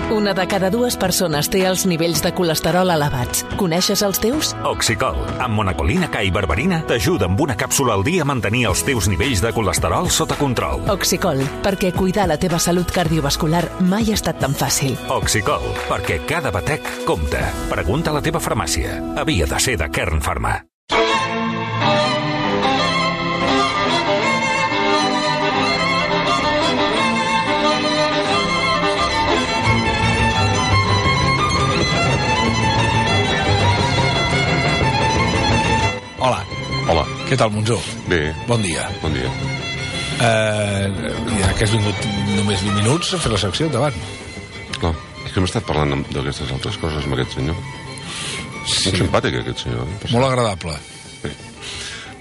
Una de cada dues persones té els nivells de colesterol elevats. Coneixes els teus? Oxicol, amb monacolina K i berberina, t'ajuda amb una càpsula al dia a mantenir els teus nivells de colesterol sota control. Oxicol, perquè cuidar la teva salut cardiovascular mai ha estat tan fàcil. Oxicol, perquè cada batec compta. Pregunta a la teva farmàcia. Havia de ser de Kern Pharma. Hola. Hola. Què tal, Monzó? Bé. Bon dia. Bon dia. Ja que has vingut només 20 minuts a fer la secció, endavant. Clar, és que hem estat parlant d'aquestes altres coses amb aquest senyor. Sí. Molt simpàtic, aquest senyor. Molt agradable. Bé.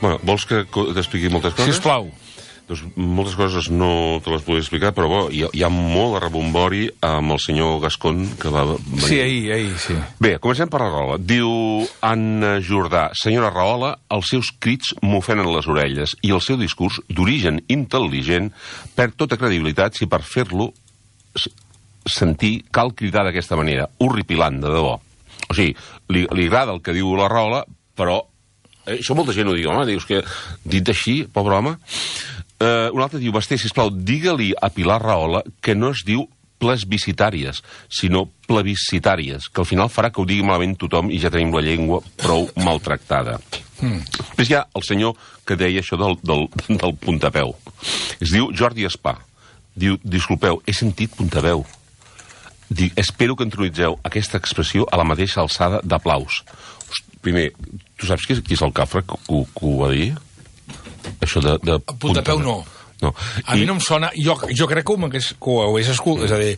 Bueno, vols que t'expliqui moltes coses? Sisplau. Doncs moltes coses no te les podria explicar, però bo, hi ha molt de rebombori amb el senyor Gascon que va venir. Sí, ahir, sí. Bé, comencem per la Rahola. Diu Anna Jordà: senyora Rahola, els seus crits m'ofenen les orelles i el seu discurs, d'origen intel·ligent, perd tota credibilitat si per fer-lo sentir cal cridar d'aquesta manera. Horripilant, de debò. O sigui, li agrada el que diu la Rahola, però això molta gent ho diu, home, dius que dit així, pobre home. Un altre diu: Basté, sisplau, digue-li a Pilar Rahola que no es diu plebiscitàries, sinó plebiscitàries, que al final farà que ho digui malament tothom i ja tenim la llengua prou maltractada. Després hi ha el senyor que deia això del puntapeu. Es diu Jordi Espà. Diu: disculpeu, he sentit puntapeu. Dic, espero que introduïtzeu aquesta expressió a la mateixa alçada d'aplaus. Primer, tu saps qui és el cafre que ho va dir? Això de puntapeu no. A mi no em sona. Jo crec que ho hagués escoltat. És a dir...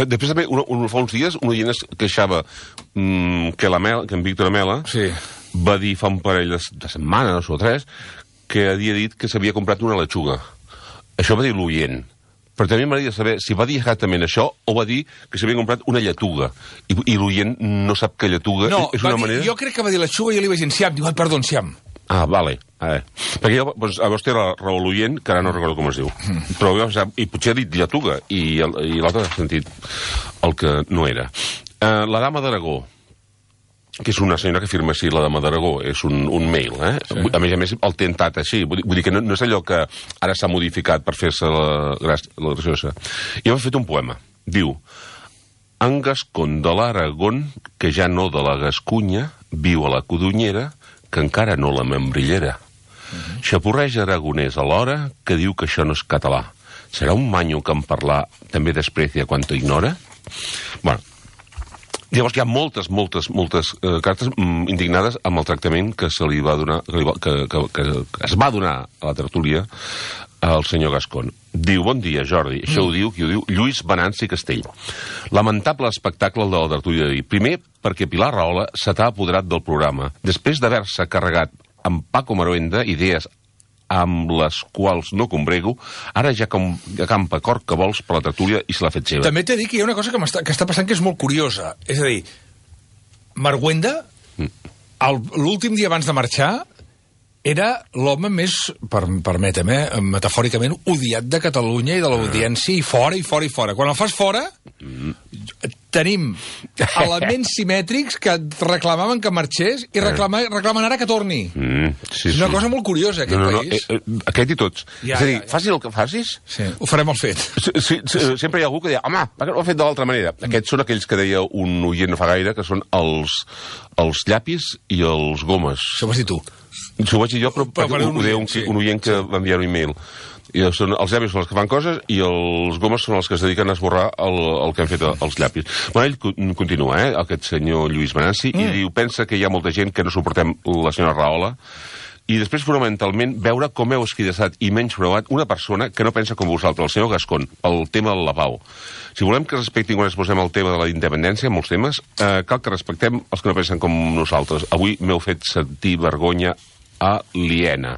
Després també, fa uns dies, un oient es queixava que en Víctor Amela va dir fa un parell de setmanes o 3 que havia dit que s'havia comprat una lechuga. Això va dir l'oient. Però també m'agradaria saber si va dir exactament això o va dir que s'havia comprat una lletuga. I l'oient no sap que lletuga és una manera... Jo crec que va dir lechuga i jo li vaig dir enciam. Diu, perdó, enciam. Ah, vale. Perquè jo, a vostè era raó l'oient, que ara no recordo com es diu. Però i potser ha dit lletuga i l'altre ha sentit el que no era. La dama d'Aragó, que és una senyora que firma així, la dama d'Aragó, és un mail, Sí. A més, el tentat així. Vull dir que no és allò que ara s'ha modificat per fer-se la graciosa. I m'ha fet un poema. Diu: en Gascon de l'Aragón, que ja no de la Gascunya, viu a la Codonyera, que encara no la membrillera. Xapurreja aragonès alhora, que diu que això no és català. Serà un manyo que en parlar també desprecia quan ho ignora? Bueno, llavors hi ha moltes cartes indignades amb el tractament que se li va donar, que es va donar a la tertúlia al senyor Gascon. Diu: bon dia, Jordi. Això ho diu Lluís Venanci Castell. Lamentable espectacle el de la tertúlia d'ahir. Primer, perquè Pilar Rahola se t'ha apoderat del programa. Després d'haver-se carregat amb Paco Maruenda idees amb les quals no combrego, ara ja campa cor que vols per la tertúlia i se l'ha fet seva. També t'he dit que hi ha una cosa que està passant que és molt curiosa. És a dir, Maruenda, l'últim dia abans de marxar, era l'home més, permetem, metafòricament, odiat de Catalunya i de l'audiència, i fora. Quan el fas fora, tenim elements simètrics que reclamaven que marxés i reclamen ara que torni. És una cosa molt curiosa, aquest país. Aquest i tots. És a dir, facis el que facis... Sí, ho farem al fet. Sempre hi ha algú que deia: home, per què no ho ha fet de l'altra manera? Aquests són aquells que deia un oient no fa gaire, que són els llapis i els gomes. Això ho vas dir tu. Això ho vaig dir jo, però ho deia un oient que va enviar un e-mail. Els llapis són els que fan coses i els gomes són els que es dediquen a esborrar el que han fet els llapis. Bueno, ell continua, aquest senyor Lluís Venanci, i diu: pensa que hi ha molta gent que no suportem la senyora Rahola, i després fonamentalment veure com heu esquidassat i menyspreuat una persona que no pensa com vosaltres, el senyor Gascon, pel tema del lavabo. Si volem que respectin quan exposem el tema de la independència, molts temes, cal que respectem els que no pensen com nosaltres. Avui m'heu fet sentir vergonya aliena.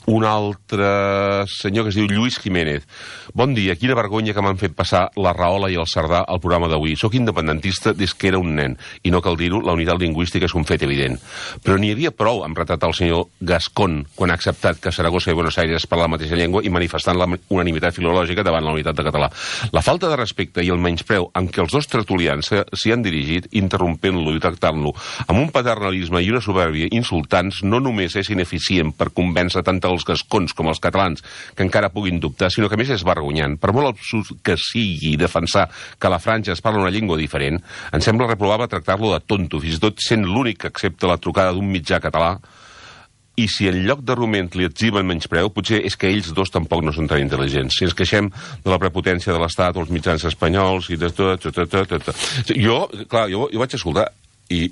un altre senyor que es diu Lluís Jiménez. Bon dia, quina vergonya que m'han fet passar la Rahola i el Cerdà al programa d'avui. Soc independentista des que era un nen, i no cal dir-ho, la unitat lingüística és un fet evident. Però n'hi havia prou amb retratar el senyor Gascón quan ha acceptat que Saragossa i Buenos Aires parlen la mateixa llengua i manifestant la unanimitat filològica davant la unitat de català. La falta de respecte i el menyspreu amb què els dos tertulians s'hi han dirigit, interrompent-lo i tractant-lo amb un paternalisme i una supèrbia insultants, no només és ineficient per convèncer tant els gascons com els catalans que encara puguin dubtar, sinó que més és vergonyant. Per molt absurd que sigui defensar que a la Franja es parla una llengua diferent, em sembla reprovable tractar-lo de tonto, fins i tot sent l'únic que accepta la trucada d'un mitjà català, i si en lloc d'argument li etziben menyspreu, potser és que ells dos tampoc no són tan intel·ligents. Si ens queixem de la prepotència de l'Estat o els mitjans espanyols i de tot... Jo vaig escoltar i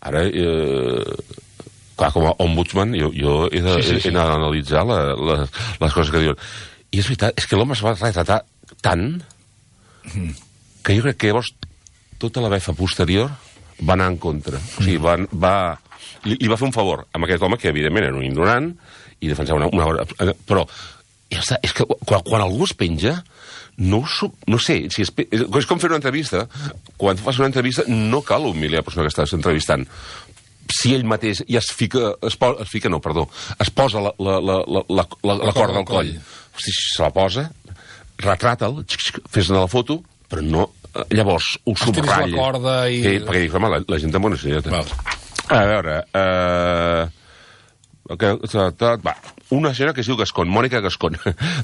ara... Clar, com a ombudsman, jo he d'analitzar les coses que diuen. I és veritat, és que l'home es va retratar tant que jo crec que llavors tota la befa posterior va anar en contra. O sigui, li va fer un favor amb aquest home, que evidentment era un ignorant, i defensava una hora... Però ja està, és que quan algú es penja, no sé, és com fer una entrevista. Quan fas una entrevista no cal humiliar la persona que estàs entrevistant. Si ell mateix ja es posa la corda al coll. Si se la posa, retrata'l, fes-ne la foto, però no... Llavors, ho subratlla. La corda i... Perquè dic, home, la gent tan bona senyora. A veure... una senyora que es diu Gascón, Mònica Gascón.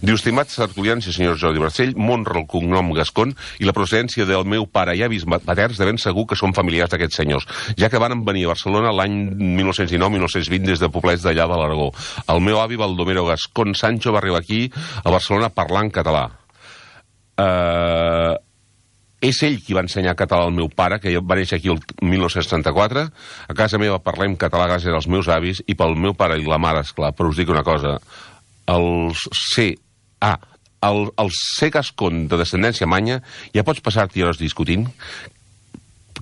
Diu, estimats tertulians i senyors Jordi Barcell, m'honra el cognom Gascón i la procedència del meu pare i avis paterns de ben segur que són familiars d'aquests senyors, ja que van venir a Barcelona l'any 1919-1920 des de poblets d'allà de l'Aragó. El meu avi Baldomero Gascón Sancho va arribar aquí a Barcelona parlant català. És ell qui va ensenyar català al meu pare, que va néixer aquí el 1934. A casa meva parlem català gràcies als meus avis i pel meu pare i la mare, esclar. Però us dic una cosa, el ser gascon de descendència manya, ja pots passar-t'hi hores discutint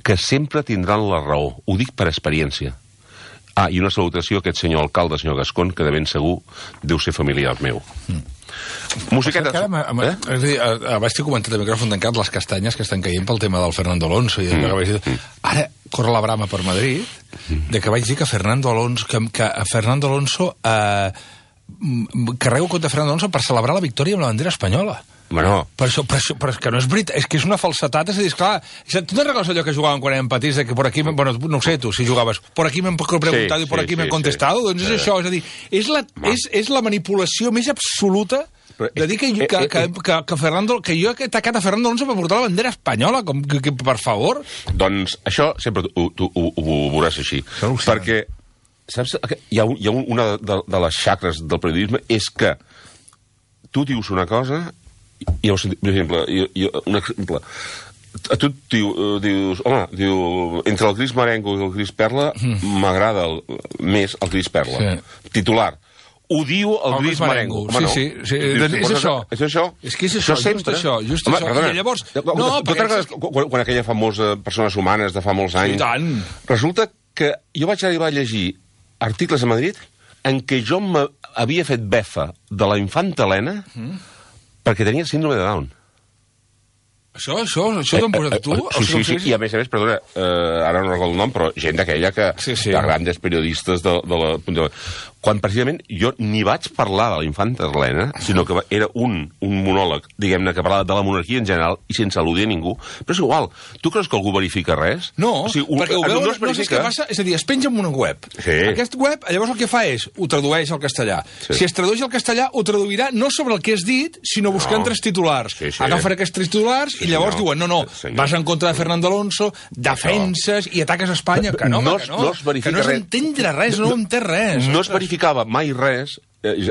que sempre tindran la raó. Ho dic per experiència. I una salutació a aquest senyor alcalde, senyor Gascón, que de ben segur deu ser familiar meu. Musiquetes. Abans t'he comentat a micròfon tancat les castanyes que estan caient pel tema del Fernando Alonso. Ara corre la brama per Madrid de que vaig dir que Fernando Alonso carrego contra Fernando Alonso per celebrar la victòria amb la bandera espanyola. Bueno. Però és que no és veritat, és que és una falsetat, és a dir, esclar, tu te'n recordes allò que jugàvem quan érem petits, que por aquí, bueno, no sé tu, si jugaves, por aquí m'han preguntat i por aquí m'han contestat, doncs és això, és a dir, és la manipulació més absoluta de dir que Fernando, que jo he atacat a Fernando Alonso per portar la bandera espanyola, com que per favor. Doncs això sempre ho veuràs així, perquè saps, hi ha una de les xacres del periodisme és que tu dius una cosa i per exemple, un exemple, tu dius, entre el gris marengo i el gris perla m'agrada més el gris perla. Titular. Ho diu el gris marengo. Sí. És això. És això? És que és això, just això. I llavors... Quan aquella famosa Persones Humanes de fa molts anys... Resulta que jo vaig arribar a llegir articles a Madrid en què jo m'havia fet befa de la infanta Helena perquè tenia síndrome de Down. Això t'ho han posat tu? Sí, i a més, perdona, ara no recordo el nom, però gent d'aquella que... de grandes periodistes de la... Quan precisament jo ni vaig parlar de la infanta Helena, sinó que era un monòleg, diguem-ne, que parlava de la monarquia en general i sense al·ludir a ningú. Però és igual, tu creus que algú verifica res? No, perquè ho veuen, no sé què passa, és a dir, es penja en una web. Aquest web, llavors el que fa és, ho tradueix al castellà. Si es tradueix al castellà, ho traduirà no sobre el que has dit, sinó buscant tres titulars. Agafen aquests tres titulars i llavors diuen, no, vas en contra de Fernando Alonso, defenses i ataques a Espanya. Que no és entendre res, no entén res. No es verificava mai res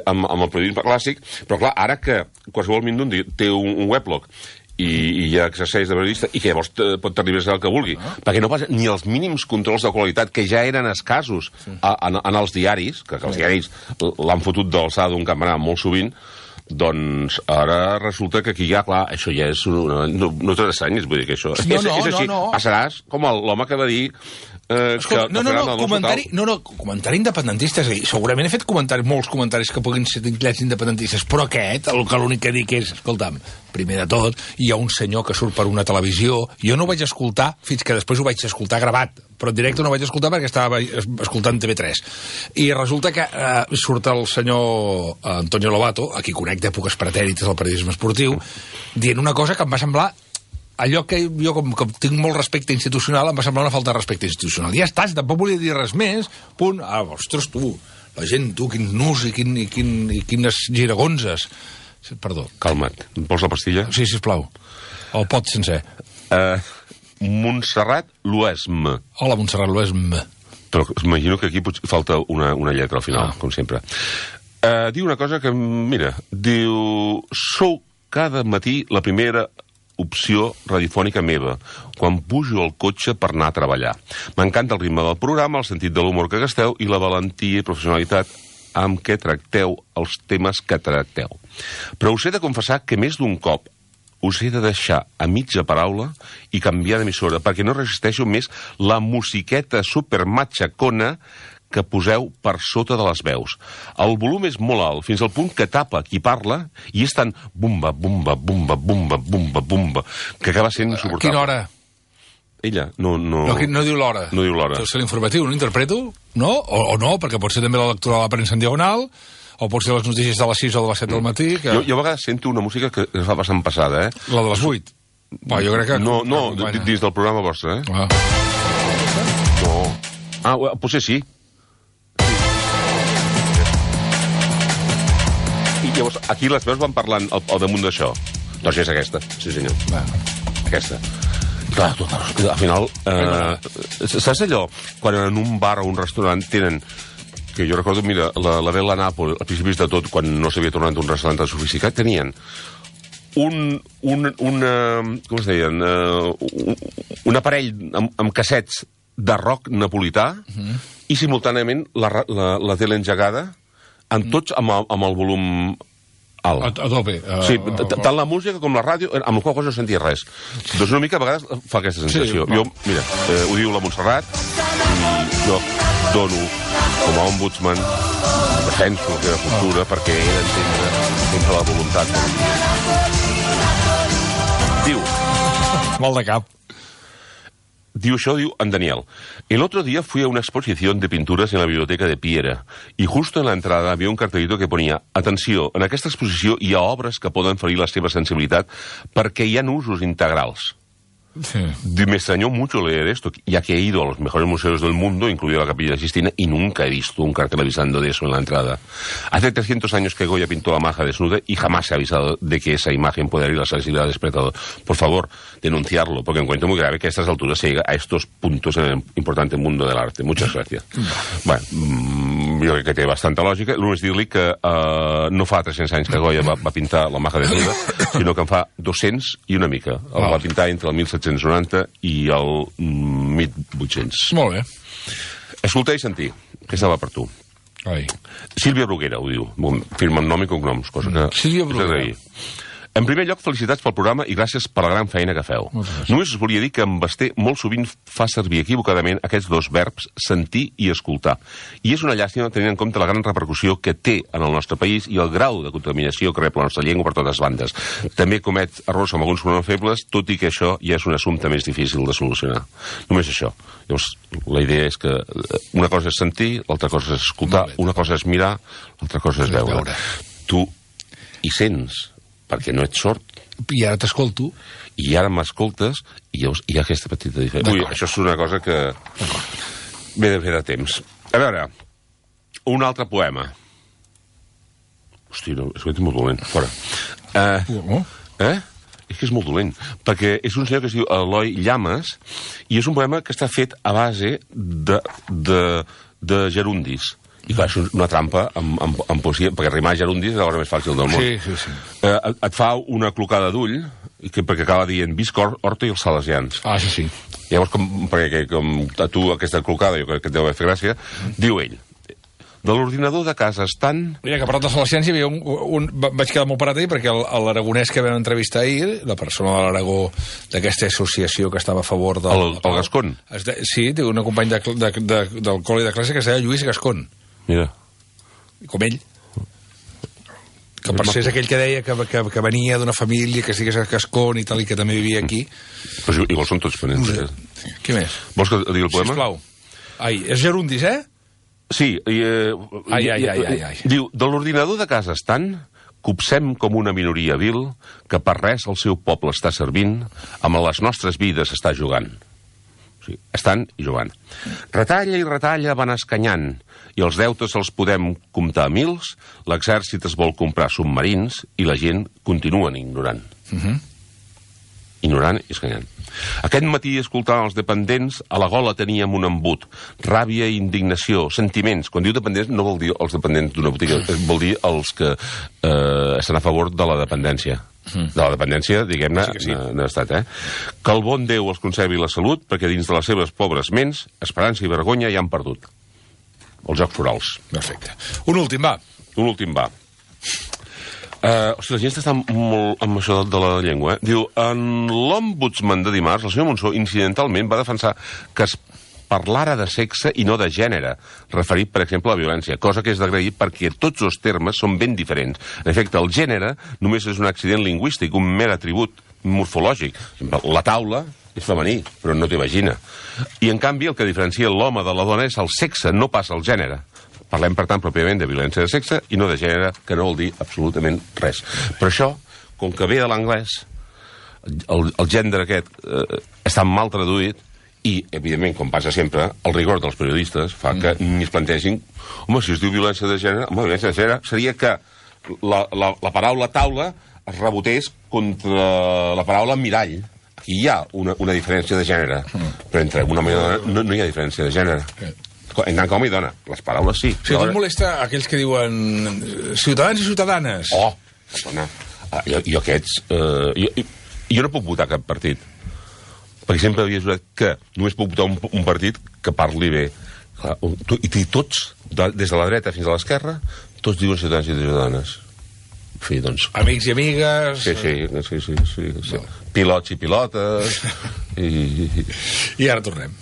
amb el periodisme clàssic, però clar, ara que qualsevol mindun té un weblog i ja exerceix de periodista i que llavors pot arribar a ser el que vulgui, perquè no passa ni els mínims controls de qualitat que ja eren escassos en els diaris, que els diaris l'han fotut d'alçada d'un campanar molt sovint, doncs ara resulta que aquí ja, clar, això ja és no t'estranyis, vull dir que això és així. Passaràs com l'home que va dir Escolta, comentari independentista, és a dir, segurament he fet molts comentaris que puguin ser titllats independentistes, però aquest, l'únic que dic és, escolta'm, primer de tot, hi ha un senyor que surt per una televisió, jo no ho vaig escoltar, fins que després ho vaig escoltar gravat, però en directe no ho vaig escoltar perquè estava escoltant TV3. I resulta que surt el senyor Antonio Lobato, a qui conec d'èpoques pretèrites del periodisme esportiu, dient una cosa que em va semblar allò que jo, com que tinc molt respecte institucional, em va semblar una falta de respecte institucional. Ja està, tampoc volia dir res més, punt. Ostres, tu, la gent, tu, quins nus i quines giragonses. Perdó. Calma't. Vols la pastilla? Sí, sisplau. El pot sencer. Montserrat Luesm. Hola, Montserrat Luesm. Però imagino que aquí falta una lletra al final, com sempre. Diu una cosa que, mira, diu... Sou cada matí la primera opció radiofònica meva, quan pujo al cotxe per anar a treballar. M'encanta el ritme del programa, el sentit de l'humor que gasteu i la valentia i professionalitat amb què tracteu els temes que tracteu. Però us he de confessar que més d'un cop us he de deixar a mitja paraula i canviar d'emissora, perquè no resisteixo més la musiqueta supermatxacona que poseu per sota de les veus. El volum és molt alt, fins al punt que tapa qui parla, i és tan bumba, bumba, bumba, bumba, bumba, bumba, que acaba sent insuportable. A quina hora? Ella, no diu l'hora. No diu l'hora. És l'informatiu, no interpreto? No? O no, perquè pot ser també la lectura de la premsa en diagonal, o pot ser les notícies de les 6 o de les 7 del matí. Que... Jo a vegades sento una música que es fa bastant passada, La de les 8? Jo crec que... No, dins del programa vostre, No. Potser sí. I llavors, aquí les veus van parlant al damunt d'això. Doncs és aquesta, sí senyor. Aquesta. Clar, al final... saps allò? Quan en un bar o un restaurant tenen... Que jo recordo, mira, la Bella Napoli, a principis de tot, quan no s'havia tornat un restaurant tan sofisticat, tenien com es deien? Un aparell amb cassets de rock napolità i simultàniament la tele engegada amb tots amb el volum alt. A tope. Sí, tant la música com la ràdio, amb la qual cosa no sentia res. Doncs una mica a vegades fa aquesta sensació. Jo, mira, ho diu la Montserrat, i jo dono, com a ombudsman, defenso la seva cultura perquè he d'entendre sempre la voluntat. Diu... Mal de cap. Diu en Daniel. El otro día fui a una exposición de pinturas en la biblioteca de Piera y justo en la entrada había un cartelito que ponía «Atenció, en aquesta exposició hi ha obres que poden ferir la seva sensibilitat perquè hi ha usos integrals». Sí. Me extrañó mucho leer esto, ya que he ido a los mejores museos del mundo, incluida la Capilla Sixtina, y nunca he visto un cartel avisando de eso en la entrada. Hace 300 años que Goya pintó la maja desnuda y jamás se ha avisado de que esa imagen puede herir la sensibilidad del espectador. Por favor, denunciarlo, porque encuentro muy grave que a estas alturas se llegue a estos puntos en el importante mundo del arte. Muchas gracias. Bueno, jo crec que té bastanta lògica. Només dir-li que no fa 300 anys que Goya va pintar la maja desnuda, sinó que en fa 200 i una mica. El va pintar entre el 1790 i el 1800. Molt bé. Escoltar i sentir, que estava per tu. Ai. Sílvia Bruguera, ho diu. Firma amb nom i cognoms, cosa que... Sílvia Bruguera. En primer lloc, felicitats pel programa i gràcies per la gran feina que feu. Només us volia dir que en Basté molt sovint fa servir equivocadament aquests dos verbs, sentir i escoltar. I és una llàstima tenint en compte la gran repercussió que té en el nostre país i el grau de contaminació que rep la nostra llengua per totes bandes. També comet errors amb alguns pronoms febles, tot i que això ja és un assumpte més difícil de solucionar. Només això. Llavors, la idea és que una cosa és sentir, l'altra cosa és escoltar, una cosa és mirar, l'altra cosa és veure. Tu hi sents, perquè no ets sord. I ara t'escolto. I ara m'escoltes, i llavors hi ha aquesta petita diferència. Ui, això és una cosa que... Ve de temps. A veure, un altre poema. Hosti, no, és que és molt dolent. Fora. És que és molt dolent. Perquè és un senyor que es diu Eloi Llamas, i és un poema que està fet a base de gerundis. I clar, és una trampa amb poesia, perquè rimar gerundis és la cosa més fàcil del món. Sí. Et fa una clocada d'ull, perquè acaba dient visc Horta i els salesians. Sí. Llavors, perquè com a tu aquesta clocada, jo crec que et deu haver fet gràcia, diu ell, de l'ordinador de casa estant... Mira, que per altres al·lecians hi havia vaig quedar molt parat ahir perquè l'aragonès que vam entrevistar ahir, la persona de l'Aragó d'aquesta associació que estava a favor del... El Gascon? Sí, té un company del col·le de classe que es deia Lluís Gascon. Mira. Com ell. Que per ser és aquell que deia que venia d'una família que estigués a Gascon i tal, i que també vivia aquí. Però igual són tots ponents. Què més? Vols que digui el poema? Sisplau. Ai, és gerundis, eh? Sí. Ai. Diu, de l'ordinador de casa estant, copsem com una minoria vil que per res el seu poble està servint, amb les nostres vides està jugant. Sí, estan i jugant. Retalla i retalla van escanyant, i els deutes els podem comptar a mils, l'exèrcit es vol comprar submarins i la gent continuen ignorant. Ignorant i escanyant. Aquest matí, escoltant els dependents, a la gola teníem un embut. Ràbia i indignació, sentiments. Quan diu dependents no vol dir els dependents d'una botiga, vol dir els que estan a favor de la dependència. De la dependència, diguem-ne, d'estat, Que el bon Déu els conservi la salut, perquè dins de les seves pobres ments, esperança i vergonya ja han perdut. Els Jocs Florals. Perfecte. Un últim, va. La gent està molt amb això de la llengua, Diu, en l'Ombudsman de dimarts, el senyor Monsó, incidentalment, va defensar que es parlara de sexe i no de gènere, referit, per exemple, a la violència, cosa que és d'agrair perquè tots els termes són ben diferents. En efecte, el gènere només és un accident lingüístic, un mer atribut morfològic. La taula és femení, però no té vagina. I, en canvi, el que diferencia l'home de la dona és el sexe, no pas el gènere. Parlem, per tant, pròpiament de violència de sexe i no de gènere, que no vol dir absolutament res. Però això, com que ve de l'anglès, el gènere aquest està mal traduït, i, evidentment, com passa sempre, el rigor dels periodistes fa que ni es plantegin home, si es diu violència de gènere, violència de gènere seria que la paraula taula es rebotés contra la paraula mirall. Aquí hi ha una diferència de gènere, però entre un home i una dona no hi ha diferència de gènere. En tant que home i dona, les paraules sí. Si et molesta aquells que diuen ciutadans i ciutadanes. Dona, jo aquests... Jo no puc votar cap partit, perquè sempre havia jurat que només puc votar un partit que parli bé. I tots, des de la dreta fins a l'esquerra, tots diuen ciutadans i ciutadanes. En fi, doncs... Amics i amigues... Sí. Pilots i pilotes... I ara tornem.